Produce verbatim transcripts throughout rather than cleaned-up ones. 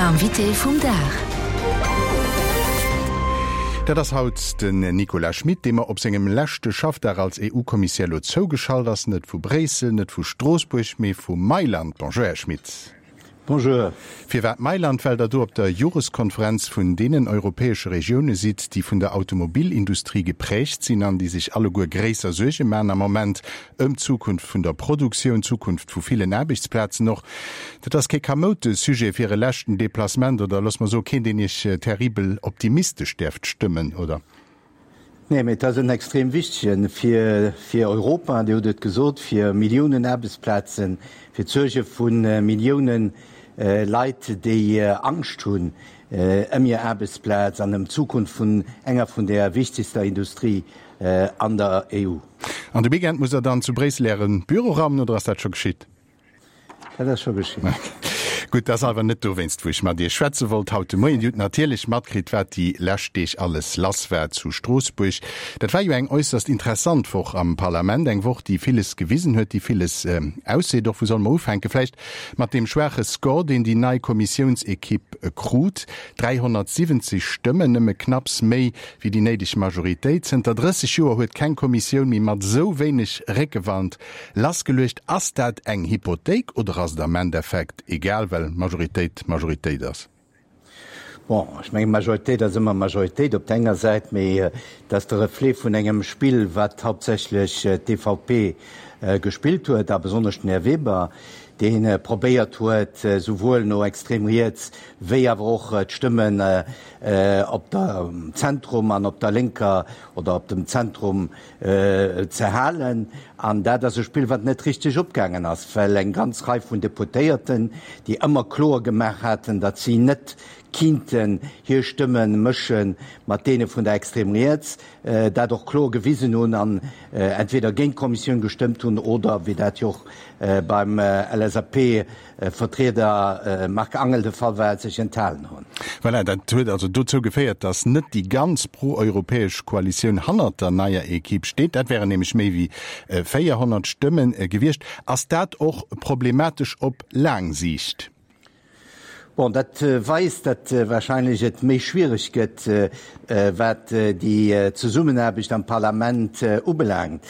Invité vum Dag. Dat ass haut den Nicolas Schmit, dee mer op sengem leschte Schaffdag als E U-Kommissär lo zougeschalt ass, net vu Bréissel, net vu Stroossbuerg, mee vu Mailand. Bonjour, Här Schmit. Bonjour. Firwat Mailand? Well Der do op der Joreskonferenz vun deenen europäesche Regioune sidd, déi vun der Automobilindustrie geprägt sinn an déi sech alleguer gréisser Suerge maachen am Moment ëm d'Zukunft vun der Produktioun, d'Zukunft vu villen Aarbechtsplazen och. Dat ass kee kamoute Sujet fir e leschten Deplacement, oder loosse mer soen, keen, deen Iech terribel optimistesch däerft stëmmen, oder? Nee, mee et ass en extrem wichtegen fir, fir Europa, Dir hutt et gesot, fir Milliounen Aarbechtsplazen, fir d'Suerge vu Milliounen Leit, déi Angscht hunn ëm hir Aarbechtsplaz an ëm d'Zukunft vun enger vun der wichtegster Industrie an der E U. An de Weekend musst Der dann zu Bréissel Äre Büro raumen, oder ass dat scho geschitt? Dat ass scho geschitt. Gutt, dat ass awer net dowéinst, wou ech mat Iech schwätze wollt haut de Moien. Dir hutt natierlech matkritt, wat déi lescht Deeg alles lass war zu Stroossbuerg. Dat war jo eng äusserst interessant Woch am Parlament, eng Woch, déi villes gewisen huet, déi villes ausseet. Och wou solle mer ufänken? Vläicht mat deem schwaache Score, deen déi nei Kommissiounsekipp krut, dräihonnertsiwwenzeg Stëmmen, nëmme knapps méi wéi déi néideg Majoritéit. Zënter drësseg Joer huet keng Kommissioun méi mat esou wéineg Réckewand lassgeluecht. Ass dat eng Hypothéik oder ass et am Endeffekt egal, well Majoritéit Majoritéit ass? Bon, ech mengen, Majoritéit ass ëmmer Majoritéit op der enger Säit, mee et ass de Reflet vun engem Spill, wat hauptsächlech d'E V P gespillt huet, a besonnesch den Här Weber, dee probéiert huet, souwuel no extrem riets wéi awer och d'Stëmmen op der Zentrum an op der lénker oder op dem Zentrum ze halen. An dat ass e Spill, wat net richteg opgaangen ass, well eng ganz Rei vun Deputéierten, déi ëmmer kloer gemaach haten, datt si net kinnten hir Stëmme mësche mat deene vun der extrem riets, dat och kloer gewisen hunn an entweder géint d'Kommissioun gestëmmt hunn oder, wéi dat jo och beim L S A P-Vertrieder Marc Angel de Fall war, sech enthalen hunn. Voilà, dat huet also dozou geféiert, datt net déi ganz pro-europäesch Koalitioun hannert der neier Ekipp steet. Dat wären nämlech méi wéi véierhonnert Stëmme gewiescht. Ass dat och problematesch op laang Siicht? Bon, dat weist, datt wahrscheinlech et méi schwiereg gëtt, wat déi Zesummenaarbecht am Parlament ubelaangt.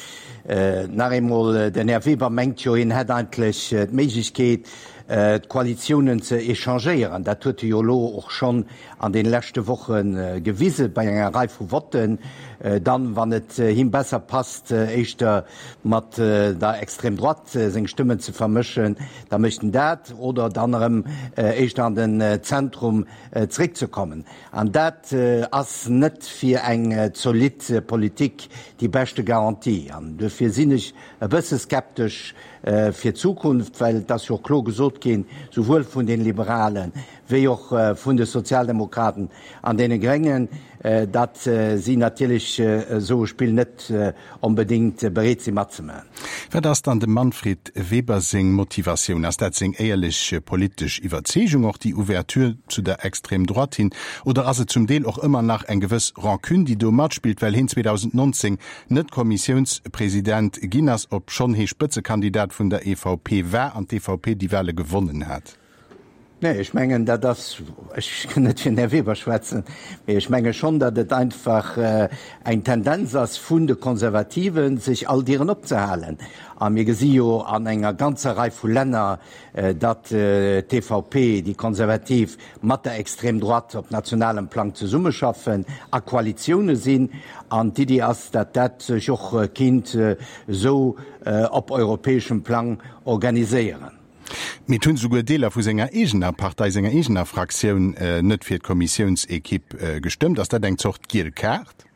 Nach eemol, den Här Weber mengt jo, hien hätt eigentlech d'Méiglechkeet, d'Koalitiounen ze échangéieren. Dat huet e jo elo och schonn an de leschte Woche gewise bei enger Rei vu Votten. Dann, wann et him besser passt, éischter mat der Extrême droite seng Stëmmen ze vermëschen, da mécht en dat, oder dann erëm éischter an den Zentrum zréckzekommen. An dat ass net fir eng zolidd Politik déi beschte Garantie. An dofir sinn ech e bësse skeptesch fir d'Zukunft, well et ass jo och kloer gesot ginn, souwuel vun den Liberalen wéi och vun de Sozialdemokraten an deene Gréngen, datt si natierlech esou e Spill net onbedéngt bereet si matzemaachen. Wat ass dann dem Manfred Weber seng Motivatioun? Ass dat seng éierlech politesch Iwwerzeegung, och déi Ouverture zu der Extrême droite hin, oder ass et zum Deel och ëmmer nach eng gewëss Rancune, déi do matspillt, well hien zweedausendnonzéng net Kommissiounspresident ginn ass, obschonn hie Spëtzekandidat vun der E V P war an d'E V P déi Wale gewonnen hat? Nee, ech mengen, dat ass, ech kann net fir den Här Weber schwätzen, mee ech menge schonn, datt et einfach eng Tendenz ass vun de Konservativen, sech all Dieren opzehalen. A mir gesi jo an enger ganzer Rei vu Länner, datt d'E V P, déi Konservativ, mat der Extrême droite op nationalem Plang zesummeschaffen, a Koalitioune sinn. An d'Iddi ass, datt dat sech och kinnt esou op europäeschem Plang organiséieren. Mee et hunn souguer Deeler vu senger eegener Partei, senger eegener Fraktioun net fir d'Kommissiounsekipp gestëmmt. Ass dat eng Zort giel Kaart?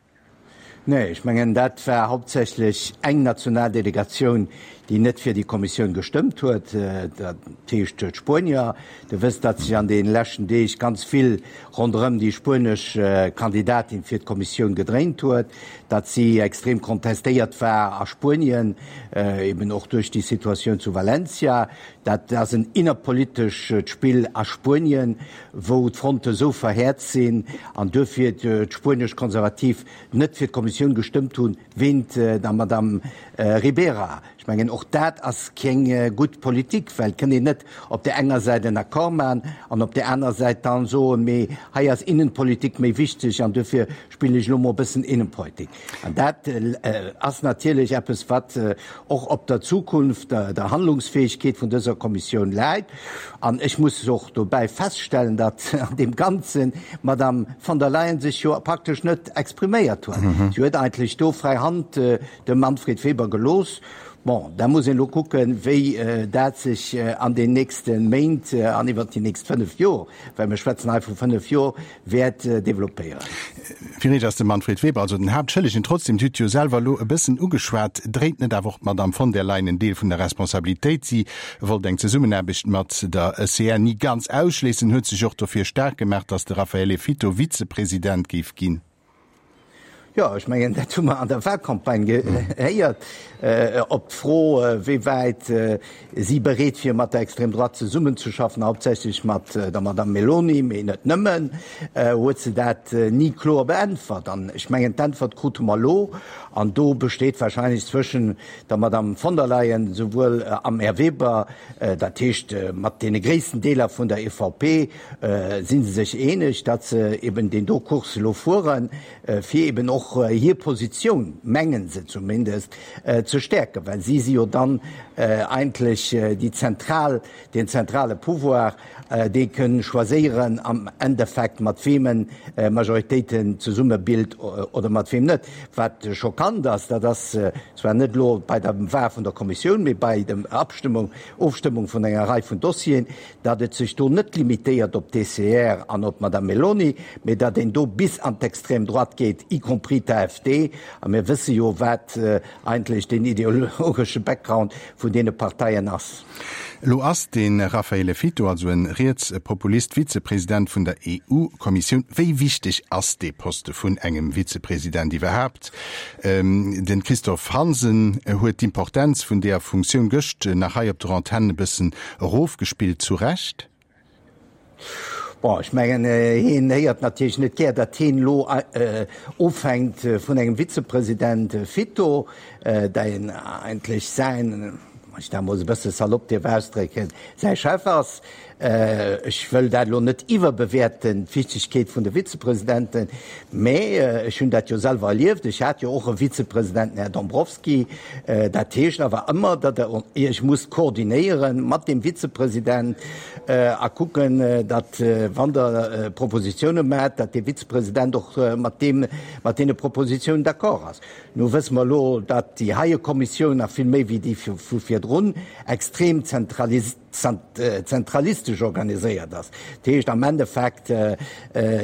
Nee, ech mengen, dat war hauptsächlech eng national Delegatioun, déi net fir déi Kommissioun gestëmmt huet, dat heescht d'Spuenier. Der wësst, datt sech an de leschten Deeg ganz vill ronderëm déi spuenesch Kandidatin fir d'Kommissioun gedréint huet, datt si extrem kontestéiert war a Spuenien, eben och duerch déi Situatioun zu Valencia. Dat ass en innerpolitescht Spill a Spuenien, wou d'Fronte sou verhäert sinn an duerfir d'spuenesch Konservativ net fir d'Kommissioun gestëmmt hunn, wéint der Madame Ribera. Ech Ech mengen, och dat ass keng gutt Politik, well et kënnt een net op där enger Säit en Accord maachen an op där aner Säit dann soen, mee hei ass Innenpolitik méi wichteg an dofir spillen ech elo mol e bëssen Innenpolitik. An dat ass natierlech eppes, wat och op der Zukunft der Handlungsfähigkeet vun dëser Kommissioun läit. An ech muss och dobäi feststellen, datt an deem Ganzen d'Madame von der Leyen sech jo praktesch net expriméiert huet. Si huet eigentlech do fräi Hand dem Manfred Weber gelooss. Bon, da muss een elo kucken, wéi dat sech an den nächste Méint an iwwert déi nächst fënnef Jor, well mir schwätzen hei vu fënnef Jor, wäert developpéieren. Fir Iech ass de Manfred Weber also den Haaptschëllegen. Trotzdem, Dir hutt jo selwer elo e bëssen ugeschwat, dréit net awer och d'Madame von der Leyen en Deel vun der Responsabilitéit? Si wollt eng Zesummenaarbecht mat der E C R ni ganz ausschléissen, huet sech och dofir staark gemaach, datt de Raffaele Fitto Vizepresident géif ginn. Jo, ech mengen, dat hu mer an der Wahlcampagne gehéiert. Op d'Fro, wéi wäit si bereet wier, mat der Extrême droite zesummenzeschaffen, hauptsächlech mat der Madame Meloni, mee net nëmmen, huet se dat ni kloer beäntwert. An ech mengen, d'Äntwert krute mer elo. An do besteet wahrscheinlech zwëschen der Madame von der Leyen souwuel am Här Weber, dat heescht mat deene gréissten Deeler vun der E V P si se sech eeneg, datt se eben deen do Kurs elo fueren, fir eben och hir Positioun, mengen se zumindest, ze stäerken, well si si jo dann eigentlech déi zentral, deen zentrale Pouvoir, dee kënn choiséieren am Endeffekt, mat weem en Majoritéiten zesummebilt oder mat weem net. Wat schockant ass, dat ass zwar net elo bei der Wahl vun der Kommissioun, mee bei der Abstimmung, Ofstëmmung vun enger Rei vun Dossieren, datt et sech do net limitéiert op d'E C R an op d'Madame Meloni, mee datt een do bis an d'extrême droite geet, y compris d'A F D. A mir wësse jo, wat eigentlech den ideologesche Background vun deene Parteien ass. Elo ass de Raffaele Fitto, also e Rietspopulist, Vizepresident vun der E U-Kommissioun. Wéi wichteg ass dee Poste vun engem Vizepresident iwwerhaapt? Den Christophe Hansen huet d'Importenz vun där Funktioun gëscht nach hei op der Antenn e bëssen erofgespillt. Zu Recht? Bon, ech mengen, hien héiert natierlech net gär, datt hien elo ofhänkt vun engem Vizepresident Fitto, deen eigentlech säin, wann ech dat emol esou e bësse salopp dierf ausdrécken, säi Chef ass. Ech wëll dat elo net iwwerbewäerten, d'Wichtegkeet vun de Vizepresidenten, mä ech hunn dat jo selwer erlieft. Ech hat jo och e Vizepresident, den Här Dombrovskis. Dat heescht awer ëmmer, datt Der Iech musst koordinéiere mat deem Vizepresident a kucken, datt, wann Der Propositioune maacht, datt dee Vizepresident och mat deem, mat deene Propositiounen d'accord ass. Nu wësse mer elo, datt déi heie Kommissioun nach vill méi wéi déi vu virdrun extrem zentralistesch organiséiert ass. Dat heescht, am Endeffekt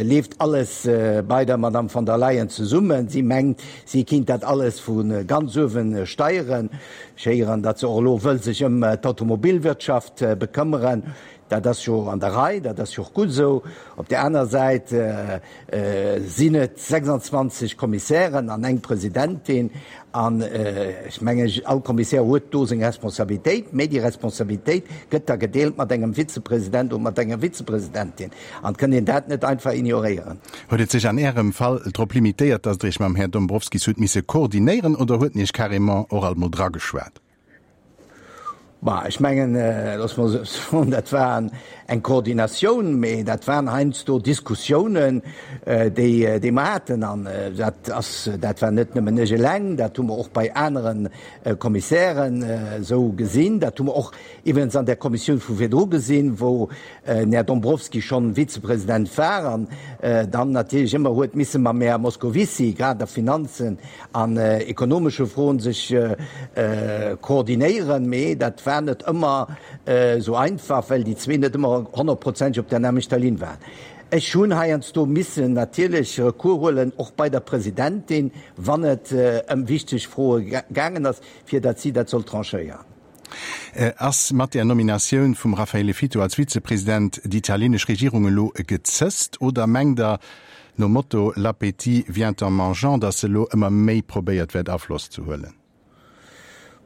leeft alles bei der Madame von der Leyen zesummen. Si mengt, si kinnt dat alles vu ganz uewe steieren. Ech héieren, datt se och elo wëll sech ëm d'Automobilwirtschaft bekëmmeren. Dat ass jo an der Rei, dat ass jo och gutt esou. Op där aner Säit sinn et sechsanzwanzeg Kommissären an eng Presidentin. An ech mengen, all Kommissär huet do seng Responsabilitéit, mä déi Responsabilitéit gëtt da gedeelt mat engem Vizepresident oder mat enger Vizepresidentin. An et kënnt een dat net einfach ignoréieren. Huet et sech an Ärem Fall drop limitéiert, datt Der Iech mam Här Dombrovskis hutt misse koordinéieren oder huet en Iech carrément och alt mol drageschwat? Bah, ech mengen, looss mer soen, dat war eng Koordinatioun, mee dat waren heiansdo Diskussiounen, déi, déi mer haten. An dat ass, dat war net nëmmen ech eleng, dat hu mer och bei anere Kommissären esou gesinn. Dat hu mer och iwwregens an der Kommissioun vu virdru gesinn, wou den Här Dombrovskis schonn Vizepresident war an dann natierlech ëmmer huet misse mam Här Moscovici, grad a Finanzen an ekonomesche Froen, sech koordinéieren. Mee dat war net ëmmer esou einfach, well déi zwee net ëmmer honnertprozenteg op der nämmlechter Linn waren. Ech hunn heiansdo missen natierlech Recours huelen, och bei der Presidentin, wann et ëm wichteg Froe gaangen ass, fir datt si dat soll tranchéieren. Ass mat der Nominatioun vum Raffaele Fitto als Vizepresident déi italienesch Regierung elo gezësst oder mengt Der, nom Motto l'appétit vient en mangeant, datt se elo ëmmer méi probéiert wäert Afloss ze huelen?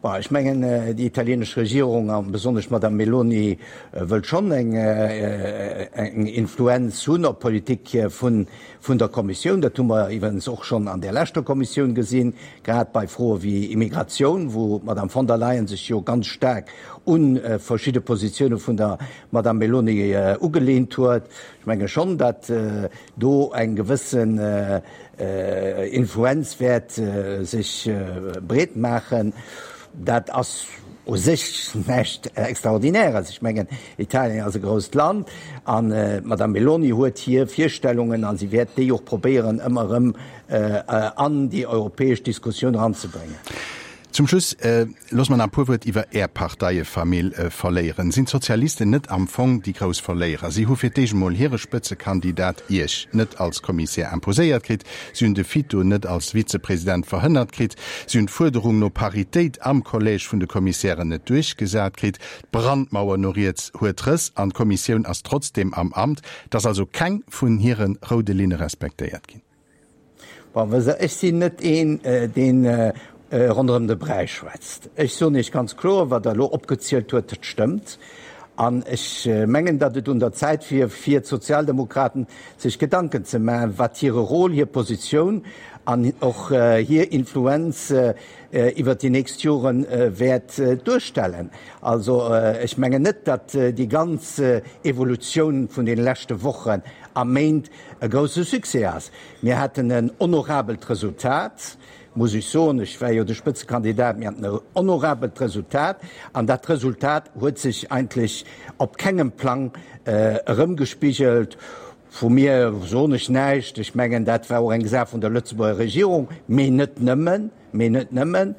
Bon, ech mengen, déi italienesch Regierung, a besonnesch d'Madame Meloni, wëllt schonn eng eng Influenz hunn op d'Politik vun vun der Kommissioun. Dat hu mer iwwerens och schonn an där leschter Kommissioun gesinn, grad bei Froe wéi Immigratioun, wou d'Madame von der Leyen sech jo ganz staark u verschidde Positioune vun der Madame Meloni ugelehnt huet. Ech menge schonn, datt do eng gewëssen Influenz wäert sech breet maachen. Dat ass u sech näischt Extraordinäres. Ech mengen, Italien ass e grousst Land an d'Madame Meloni huet hir Virstellungen a si wäert déi och probéieren, ëmmer erëm an déi europäesch Diskussioun eranzebréngen. Zum Schluss, loosst mer nach e puer Wuert iwwer Är Parteiefamill verléieren. Sinn d'Sozialisten net am Fong déi grouss Verléierer? Si hu fir d'éischt emol hire Spëtzekandidat, Iech, net als Kommissär imposéiert kritt. Si hunn de Fitto net als Vizepresident verhënnert kritt. Si hunn d'Fuerderung no Paritéit am Collège vun de Kommissären net duerchgesat kritt. D'Brandmauer no riets huet Rëss an d'Kommissioun ass trotzdeem am Amt. Et ass also keng vun hire roude Linne respektéiert ginn. Bon, wësst Der, ech sinn net een, deen ronderëm de Bräi schwätzt. Ech soen Iech ganz kloer, wat Der elo opgezielt huet, dat stëmmt. An ech mengen, datt et un der Zäit wier, fir d'Sozialdemokraten, sech Gedanken ze maachen, wat hire Rôle, hir Positioun an och hir Influenz iwwert déi nächst Jore wäert duerstellen. Also ech mengen net, datt déi ganz Evolutioun vun deene leschte Wochen a Méint e grousse Succès ass. Mir haten en honorabelt Resultat, muss ech soen, ech war jo de Spëtzekandidat, mir haten e honorabelt Resultat an dat Resultat huet sech eigentlech op kengem Plang erëmgespigelt. Vu mir soen ech näischt, ech mengen dat war och eng Saach vun der Lëtzebuerger Regierung, mee net nëmmen, mee net nëmmen.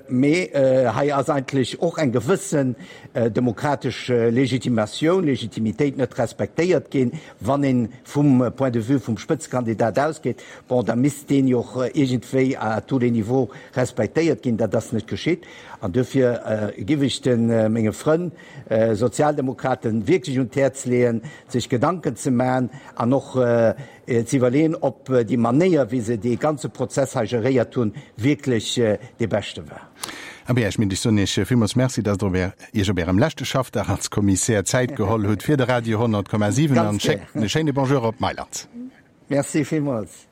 Mee hei ass eigentlech och eng gewëssen demokratesch Legitimatioun, Legitimitéit net respektéiert ginn. Wann ee vum Point de vue vum Spëtzekandidat ausgeet, bon, da misst deen jo och iergendwéi à tous les niveaux respektéiert ginn. Dat ass net geschitt. An duerfir giff ech de menge Frënn Sozialdemokraten wierklech un d'Häerz leeën, sech Gedanken ze maachen an och ze iwwerleeën, ob déi Manéier, wéi se dee ganze Prozess hei geréiert hunn, wierklech dee beschte war. Abee, Här Schmit, ech soen Iech villmools Merci, dass Der Iech op Ärem leschte Schaffdag als Kommissär Zäit geholl hutt fir de Radio honnert Komma siwen an schéckt e schéine Bonjour op Mailand. Merci villmools.